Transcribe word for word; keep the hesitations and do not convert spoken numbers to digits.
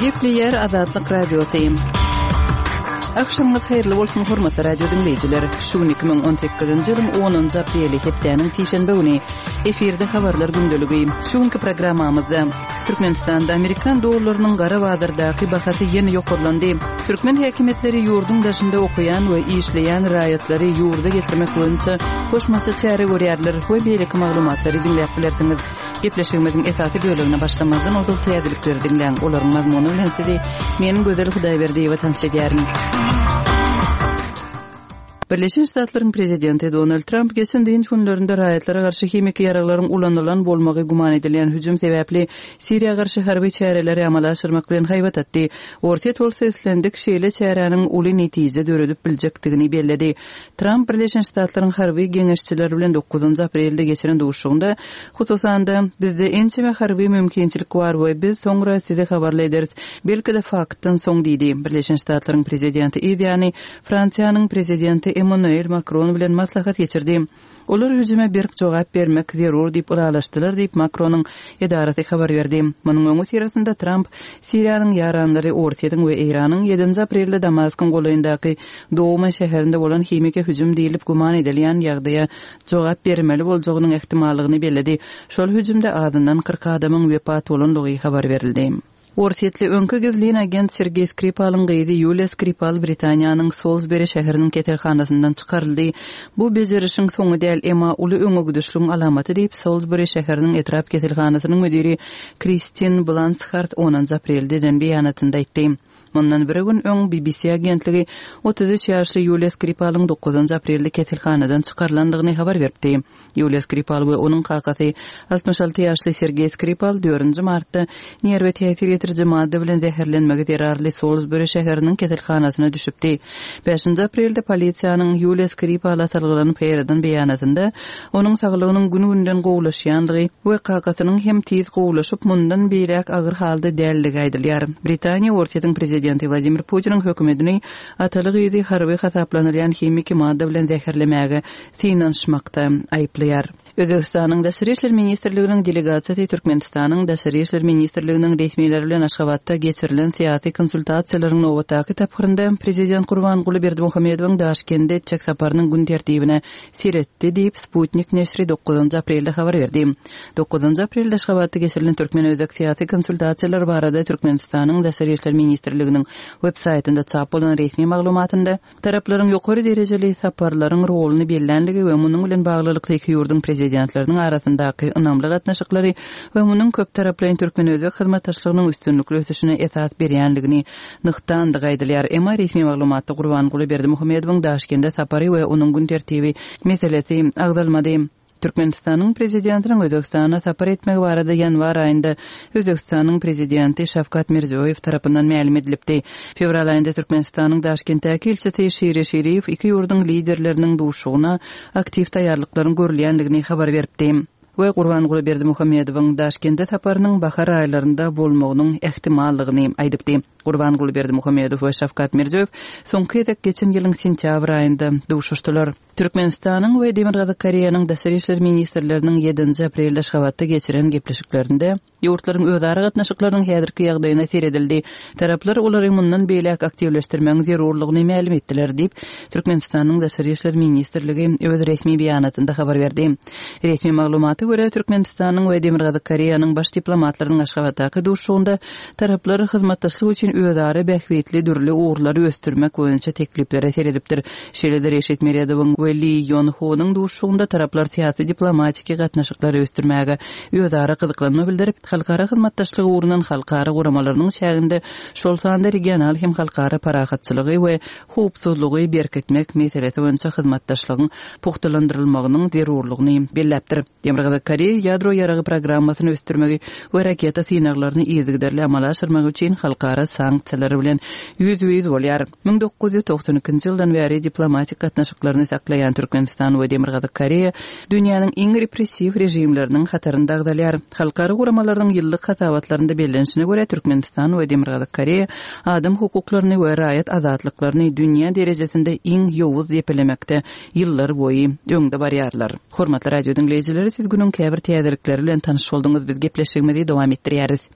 Gepleýär Azatlyk Radiosy. Agşamyňyz haýyrly bolsun, hormatly radio diňleýjiler. Şu gün iki müň on sekizinji ýylyň onunjy apreli, hepdäniň sişenbe güni. Efirde habarlar gündeligi. Şu günki programmamyzda Türkmenistanda amerikan dollarynyň gara bazardaky bahasy ýene ýokarlandy. Türkmen häkimiýetleri ýurduň daşynda okaýan we işleýän raýatlary ýurda getirmek boýunça goşmaça çäre görýärler we beýleki maglumatlary diňläp bilersiňiz. Gepleşigimiziň esasy bölegine başlamazdan ozal täzelikleri diňläň. Olaryň mazmuny bilen sizi men Gözel Hudaýberdiýewa tanyş edýärin. Birleşen Ştatlaryň prezidenti Donald Tramp geçen dynç günlerinde raýatlara garşy himiki ýaraglaryň ulanylan bolmagy güman edilýän hüjüm sebäpli Siriýa garşy harby çäreleri amala aşyrmak bilen haýbat atdy. Orsýet bolsa islendik şeýle çäräniň uly netije döredip biljekdigini belledi. Tramp Birleşen Ştatlaryň harby geňeşçileri bilen dokuzynjy aprelde geçiren duşuşygynda, hususan-da, bizde ençeme harby mümkinçilik bar we biz soňra sizi habarly ederis, belki-de faktdan soň diýdi. Birleşen Ştatlaryň prezidenti yz ýany Fransiýanyň prezidenti Emmanuel Makron bilen maslahat geçirdi. Olar hüjüme berk jogap bermek zerur diýip ylalaşdylar diýip, Makronyň edarasy habar berdi. Munuň öňüsyrasynda Tramp Siriýanyň ýaranlary Orsýetiň we Eýranyň ýedinji aprelde Damaskyň golaýyndaky Douma şäherinde bolan himiki hüjüm diýlip güman edilýän ýagdaýa jogap bermeli boljagynyň ähtimallygyny belledi. Şol hüjümde azyndan kyrk adamyň wepat bolandygy habar berildi. Orsýetli öňki gizlin agent Sergeý Skripalyň gyzy Ýuliýa Skripal Britaniýanyň Solsberi şäheriniň keselhanasyndan çykaryldy. Bu bejerişiň soňy däl, emma uly öňe gidişligiň alamaty diýip, Solsberi şäheriniň etrap keselhanasynyň müdiri Kristin Blanshard onunjy aprelde eden beýanatynda aýtdy. Mundan bir gün öň B B C agentligi otuz üç ýaşly Ýuliýa Skripalyň dokuzynjy aprelde keselhanadan çykarylandygyny habar beripdi. Ýuliýa Skripal we onuň kakasy altmyş alty ýaşly Sergeý Skripal dördünji martda nerwe täsir ýetiriji madda bilen zäherlenmegi zerarly Solsberi şäheriniň keselhanasyna düşüpdi. Bäşinji aprelde polisiýanyň Ýuliýa Skripala salgylanyp heýradan beýanatynda onuň saglygynyň gün-günden gowulaşýandygy we kakasynyň hem tiz gowulaşyp mundan beýläk agyr halda däldigi aýdylýar. Britaniýa Orsýetiň prezidenti Wladimir Putiniň hökümetini ataly gyzy harby hasaplanylýan himiki madda bilen zäherlemäge synanyşmakda aýyplaýar. Özbekistanyň Daşary İşler Ministrliginiň delegasiýasy Türkmenistanyň Daşary İşler Ministrliginiň resmileri bilen Aşgabatda geçirilen syýasy konsultasiýalaryň nobatdaky tapgyrynda Prezident Gurbanguly Berdimuhamedowyň Daşkentde etjek saparynyň gün tertibine seretdi diýip Sputnik neşri dokuzynjy aprelde habar berdi. Dokuzynjy aprelde Aşgabatda geçirilen Türkmen-Özbek syýasy konsultasiýalary barada Türkmenistanyň Daşary İşler Ministrliginiň web saýtynda çap bolan resmi maglumatynda taraplaryň ýokary derejeli saparlaryň roluny bellänligi we munuň bilen baglylykda iki ýurduň prezidentleriniň arasyndaky ynamly gatnaşyklary we munuň köp taraplaýyn Türkmen-Özbek hyzmatdaşlygynyň üstünlikli ösüşine esas berýänligini nygtandygy aýdylýar. Emma resmi maglumatda Gurbanguly Berdimuhamedowyň Daşkentde sapary we onuň gün tertibi meselesi agzalmady. Türkmenistanyň prezidentiniň Özbekistana sapar etmegi barada ýanwar aýynda Özbekistanyň prezidenti Şawkat Mirziýoýew tarapyndan mälim edilipdi. Fewral aýynda Türkmenistanyň Daşkentdäki ilçisi Şiri Şiriýew iki ýurduň liderleriniň duşugyna aktiw taýýarlyklaryň görülýändigini habar beripdi. We Gurbanguly Berdimuhamedowyň Daşkentde saparynyň bahar aýlarynda bolmagynyň ähtimallygyny aýdypdy. Gurbanguly Berdimuhamedow we Şawkat Mirziýoýew soňky gezek geçen ýylyň sentýabr aýynda duşuşdylar. Türkmenistanyň we Demirgazyk Koreýanyň Daşary İşler Ministrleriniň ýedinji aprelde Aşgabatda geçiren gepleşiklerinde ýurtlaryň özara gatnaşyklarynyň häzirki ýagdaýyna seredildi. Taraplar olary mundan beýläk aktiwleşdirmegiň zerurlygyny mälim etdiler diýip, Türkmenistanyň Daşary İşler Ministrligi öz resmi beýanatynda habar berdi. Resmi maglumata görä Türkmenistanyň we Demirgazyk Koreýanyň baş diplomatlarynyň Aşgabatdaky duşuşygynda taraplar hyzmatdaşlyk üçin özara bähbitli dürli ugurlary ösdürmek boýunça tekliplere seredipdir. Şeýle-de Reşit Meredowyň we Li Ýonhonyň duşuşygynda taraplar syýasy diplomatiki gatnaşyklary ösdürmäge özara gyzyklanma bildirip, halkara hyzmatdaşlygy ugrundan halkara guramalarynyň çäginde şol sanda regional hem halkara parahatçylygy we howpsuzlygy berkitmek meselesi boýunça hyzmatdaşlygyň pugtalandyrylmagynyň zerurlygyny belläpdir. Demirgazyk Koreýa ýadro ýaragy programmasyny ösdürmegi we raketa synaglaryny yzygiderli amala aşyrmak üçin halkara sanksiýalary bilen ýüz-ýüz bolýar. Müň dokuz ýüz togsan ikinji ýyldan bäri diplomatik gatnaşyklaryny saklaýan Türkmenistan we Demirgazyk Koreýa dünýäniň iň repressiw režimleriniň hatarynda agzalýar. Halkara guramalarynyň ýyllyk hasabatlarynda bellenişine görä Türkmenistan we Demirgazyk Koreýa adam hukuklaryny we raýat azatlyklaryny dünýä derejesinde iň ýowuz depelemekde ýyllar boýy öňde barýarlar. Hormatly radio diňleýjiler, siz günüň käbir täzelikleri bilen tanyş bolduňyz. Biz gepleşigimizi dowam etdirýäris.